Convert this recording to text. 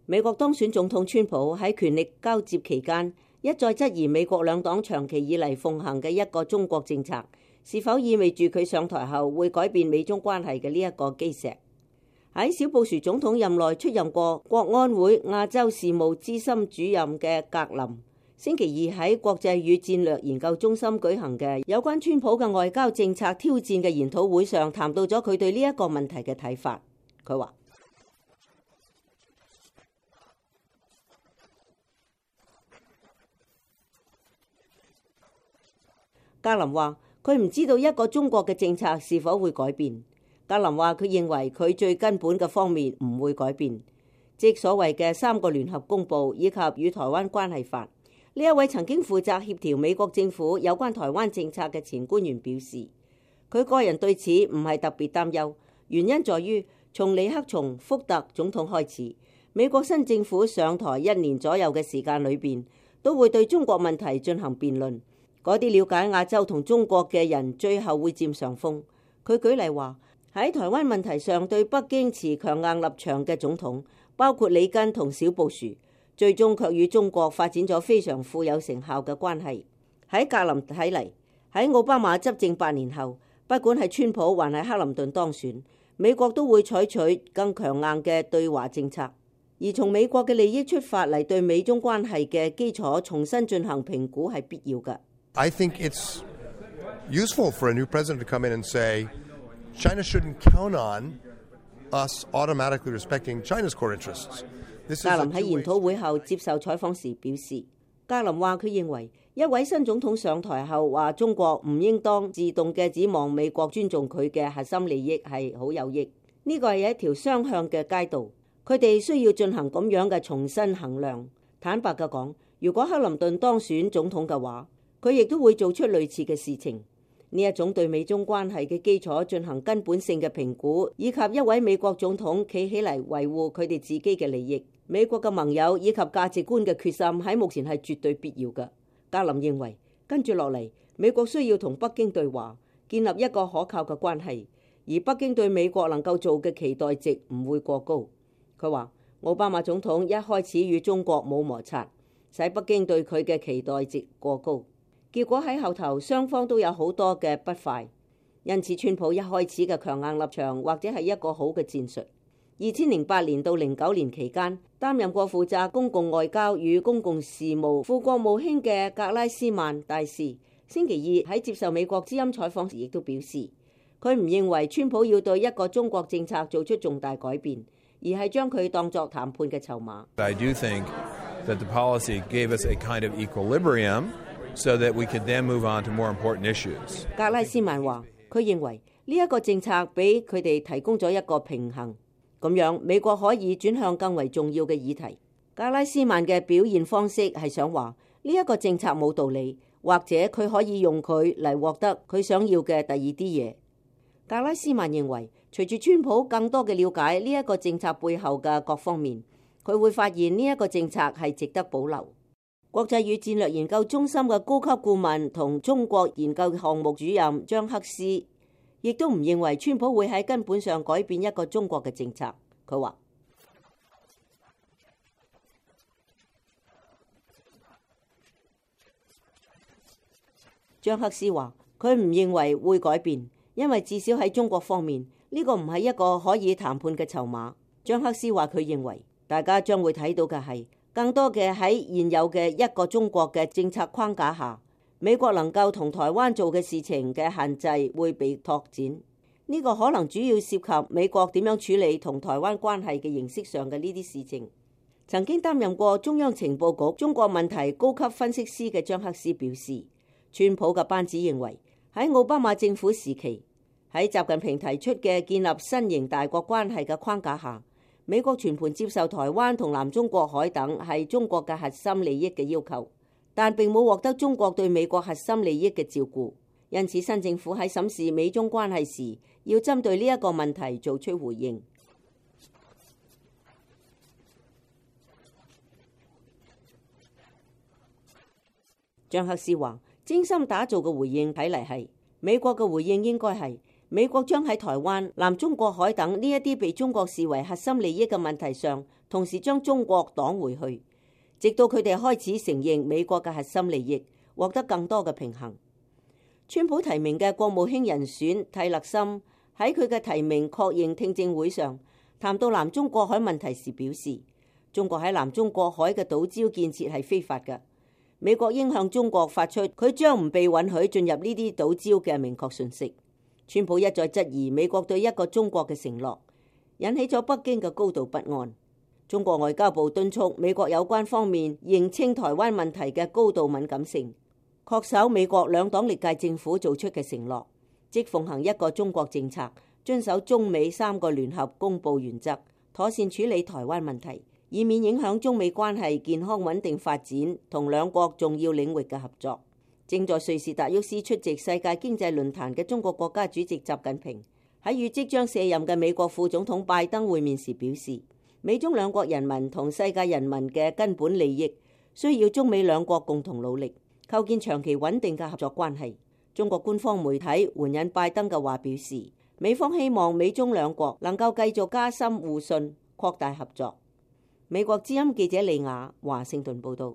美國當選總統川普喺權力交接期間一再質疑美國兩黨長期以嚟奉行嘅一個中國政策是否意味住佢上台後會改變美中關係嘅呢一個基石。喺小布殊總統任內出任過國安會亞洲事務資深主任嘅格林，星期二喺國際與戰略研究中心舉行嘅有關川普嘅外交政策挑戰嘅研討會上，談到咗佢對呢一個問題嘅睇法。佢話：格林話佢唔知道一個中國嘅政策是否會改變。格林話佢認為佢最根本嘅方面唔會改變，即所謂嘅3個聯合公報以及與台灣關係法。呢一位曾經負責協調美國政府有關台灣政策嘅前官員表示，佢個人對此唔係特別擔憂，原因在於從尼克松、福特總統開始，美國新政府上台1年左右嘅時間裏邊，都會對中國問題進行辯論。嗰啲了解亞洲同中國嘅人最後會佔上風。佢舉例話，喺台灣問題上對北京持強硬立場嘅總統，包括里根同小布殊，最終卻與中國發展咗非常富有成效嘅關係。喺格林睇嚟，喺奧巴馬執政8年後，不管係川普還係克林頓當選，美國都會採取更強硬嘅對華政策，而從美國嘅利益出發嚟對美中關係嘅基礎重新進行評估係必要嘅。I think it's useful for a new president to come in and say, China shouldn't count on us automatically respecting China's core interests. 格林喺研討會後接受採訪時表示，格林話佢認為一位新總統上台後話中國唔應當自動嘅指望美國尊重佢嘅核心利益係好有益，呢個係一條雙向嘅街道，佢哋需要進行咁樣嘅重新衡量。坦白嘅講，如果克林頓當選總統嘅話，佢亦都會做出類似嘅事情。呢一種對美中關係嘅基礎進行根本性嘅評估，以及一位美國總統企起嚟維護佢哋自己嘅利益、美國嘅盟友以及價值觀嘅決心喺目前係絕對必要嘅。格林認為，跟住落嚟，美國需要同北京對話，建立一個可靠嘅關係，而北京對美國能夠做嘅期待值唔會過高。佢話，奧巴馬總統一開始與中國冇摩擦，使北京對佢嘅期待值過高。結果喺後頭雙方都有好多嘅不快，因此川普一開始嘅強硬立場或者係一個好嘅戰術。2008年到09年期間，擔任過負責公共外交與公共事務副國務卿嘅格拉斯曼大使，星期二喺接受美國之音採訪時亦都表示，佢唔認為川普要對一個中國政策做出重大改變，而係將佢當作談判嘅籌碼。I do think that the policy gave us a kind of equilibrium. So that we could then move on to more important issues. 格拉斯曼話，佢認為呢一個政策俾佢哋提供咗一個平衡，咁樣美國可以轉向更為重要嘅議題。格拉斯曼嘅表現方式係想話呢一個政策冇道理，或者佢可以用佢嚟獲得佢想要嘅第二啲嘢。格拉斯曼認為，隨住川普更多嘅了解呢一個政策背後嘅各方面，佢會發現呢一個政策係值得保留。國際與戰略研究中心嘅高級顧問同中國研究項目主任張克斯亦都唔認為川普會喺根本上改變一個中國嘅政策。佢話，張克斯話佢唔認為會改變，因為至少喺中國方面呢個唔係一個可以談判嘅籌碼。張克斯話佢認為大家將會睇到嘅係更多嘅喺現有嘅一個中國嘅政策框架下，美國能夠同台灣做嘅事情嘅限制會被拓展。呢個可能主要涉及美國點樣處理同台灣關係嘅形式上嘅呢啲事情。曾經擔任過中央情報局中國問題高級分析師嘅張克斯表示，川普嘅班子認為喺奧巴馬政府時期，喺習近平提出嘅建立新型大國關係嘅框架下，美國全盤接受台灣同南中國海等係中國嘅核心利益嘅要求，但並冇獲得中國對美國核心利益嘅照顧。因此，新政府喺審視美中關係時，要針對呢一個問題做出回應。張克斯話，精心打造嘅回應睇嚟係美國嘅回應應該係美國將喺台灣、南中國海等呢一啲被中國視為核心利益嘅問題上，同時將中國擋回去，直到佢哋開始承認美國嘅核心利益，獲得更多嘅平衡。川普提名嘅國務卿人選蒂勒森喺佢嘅提名確認聽證會上談到南中國海問題時表示，中國喺南中國海嘅島礁建設係非法嘅，美國應向中國發出佢將唔被允許進入呢啲島礁嘅明確訊息。川普一再質疑美國對一個中國嘅承諾，引起咗北京嘅高度不安。中國外交部敦促美國有關方面認清台灣問題嘅高度敏感性，恪守美國兩黨歷屆政府做出嘅承諾，即奉行一個中國政策，遵守中美3個聯合公佈原則，妥善處理台灣問題，以免影響中美關係健康穩定發展同兩國重要領域嘅合作。正在瑞士達沃斯出席世界經濟論壇嘅中國國家主席習近平喺與即將卸任嘅美國副總統拜登會面時表示，美中兩國人民同世界人民嘅根本利益需要中美兩國共同努力，構建長期穩定嘅合作關係。中國官方媒體援引拜登嘅話表示，美方希望美中兩國能夠繼續加深互信、擴大合作。美國之音記者李雅華盛頓報道。